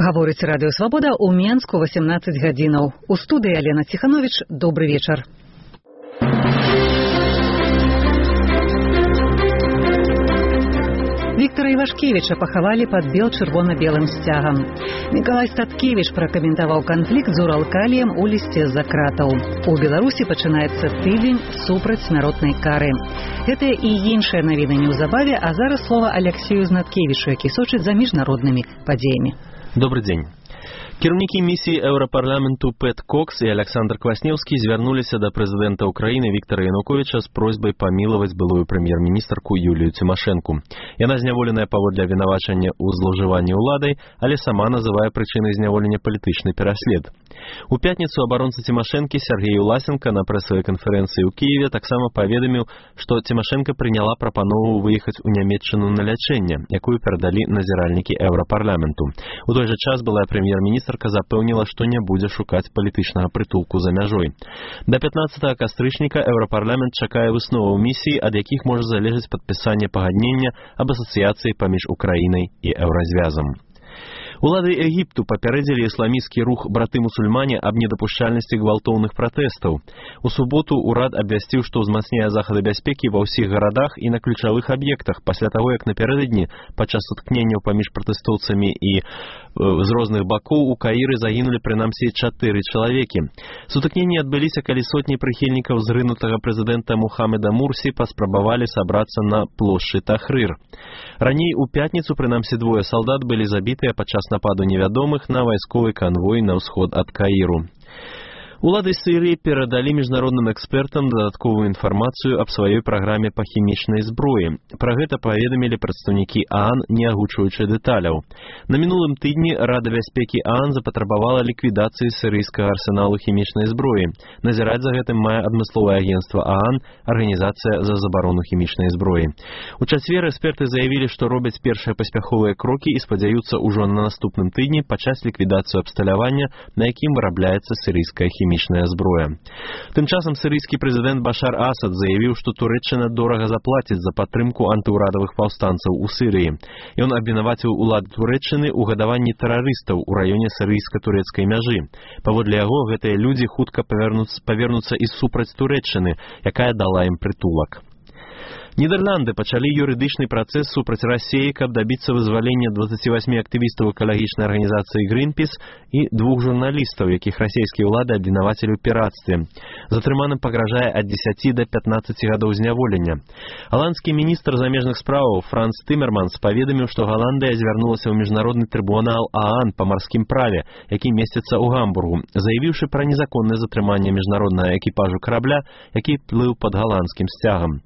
Гаворыць Радыё Свабода ў Менску 18 гадзінаў. У студыі Алена Ціхановіч. Добры вечар. Віктора Івашкевіча пахавалі пад бел-чырвона-белым сцягам. Мікалай Статкевіч пракаментаваў канфлікт з Уралкаліем у лісце з-за кратаў. У Беларусі пачынаецца тыдзень супраць смяротнай кары. Гэтыя і іншыя навіны неўзабаве, а зараз слова Аляксею Знаткевічу, які сочыць за міжнароднымі падзеямі. Добрый день. Кіраўнікі місіі Еўрапарламенту Пэт Кокс і Александр Кваснеўскі звярнуліся да прэзідэнта Украіны Віктора Януковіча з просьбай памілаваць былую прэм'ер-міністрку Юлію Цімашэнку. Яна зняволеная паводле абвінавачання ў злоўжыванні ўладай, але сама называе прычынай зняволення палітычны пераслед. У пятніцу абаронца Цімашэнкі Сергей Власенко на прэсавай канферэнцыі ў Кіеве таксама паведаміў, што Цімашэнка прыняла прапанову выехаць у Нямецчыну на лячэнне, якую перадалі назіральнікі Еўрапарламенту. У той жа час былая прэм'ер-міністрка запэўніла, што не будзе шукаць палітычнага прытулку за мяжой. Да 15 кастрычніка Еўрапарламент чакае высноваў місіі, ад якіх можа залежаць падпісанне пагаднення аб асацыяцыі паміж Украінай і Еўразвязам. Улады Егіпту папярэдзілі ісламісцкі рух браты-мусульмане аб недапушчальнасці гвалтоўных пратэстаў. У суботу ўрад абвясціў, што ўзмацняе захады бяспекі ва ўсіх гарадах і на ключавых аб'ектах пасля таго, як напярэдадні падчас сутыкненняў паміж пратэстоўцамі і з розных бакоў у Каіры загінулі прынамсі 4 чалавекі. Сутыкненні адбыліся, калі сотні прыхільнікаў зрынутага прэзідэнта Мухаммеда Мурсі паспрабавалі сабрацца на плошчы Тахрыр. Раней у пятніцу прынамсі 2 салдат былі забітыя падчас нападу невядомых на вайсковы канвой на ўсход ад Каіру. Улады Сірыі перадалі міжнародным экспертам дадатковую інфармацыю аб сваёй праграме па хімічнай зброі. Пра гэта паведамілі прадстаўнікі ААН, не агучваючы дэталяў. На мінулым тыдні Рада бяспекі ААН запатрабавала ліквідацыі сірыйскага арсеналу хімічнай зброі. Назіраць за гэтым мае адмысловае агенцтва ААН, Арганізацыя за забарону хімічнай зброі. У чацвер эксперты заявілі, што робяць першыя паспяховыя крокі і спадзяюцца ўжо на наступным тыдні пачаць ліквідацыю абсталявання, на якім вырабляецца сірыйская хімічная зброя. Тым часам сірыйскі прэзідэнт Башар Асад заявіў, што Турэччына дорага заплаціць за падтрымку антыўрадавых паўстанцаў у Сірыі. Ён абвінаваціў улады Турэччыны ў гадаванні тэрарыстаў у раёне сірыйска-турэцкай мяжы. Паводле яго, гэтыя людзі хутка павернуцца і супраць Турэччыны, якая дала ім прытулак. Нідерланды пачалі юрыдычны працэс супраць Расіі, каб дабіцца вызвалення 28 актывістаў экалагічнай арганізацыі Greenpeace і 2 журналістаў, якіх расійскія ўлады абвінавацілі ў пірацтве. Затрыманым пагражае ад 10 да 15 гадоў зняволення. Галандскі міністр замежных справаў Франц Тымерманс паведаміў, што Галандыя звярнулася ў міжнародны трыбунал ААН па марскім праве, які месціцца ў Гамбургу, заявіўшы пра незаконнае затрыманне міжнароднага экіпажу карабля, які плыў пад галандскім сцягам.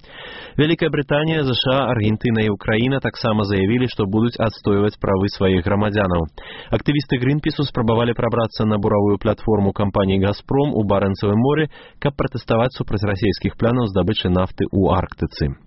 Вялікая Брытанія, ЗША, Аргентына і Украіна таксама заявілі, што будуць адстойваць правы сваіх грамадзянаў. Актывісты Greenpeace спрабавалі прабрацца на буравую платформу кампаніі «Газпром» у Барэнцавым моры, каб пратэставаць супраць расійскіх планаў здабычы нафты ў Арктыцы.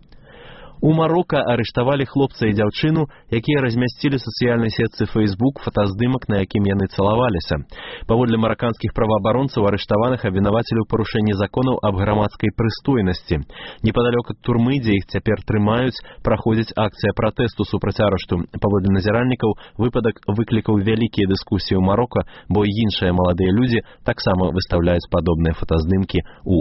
У Марока арыштавалі хлопца і дзяўчыну, якія размясцілі сацыяльнай сетцы Facebook фотаздымак, на якім яны цалаваліся. Паводле мараканскіх праваабаронцаў арыштаваных абвінавацілі ў парушэнні законаў аб грамадскай прыстойнасці. Непадалёк ад турмы, дзе іх цяпер трымаюць, праходзіць акцыя пратэсту супраць арышту. Паводле назіральнікаў, выпадак выклікаў вялікія дыскусіі ў Марока, бо і іншыя маладыя людзі таксама выстаўляюць падобныя фотаздымкі ў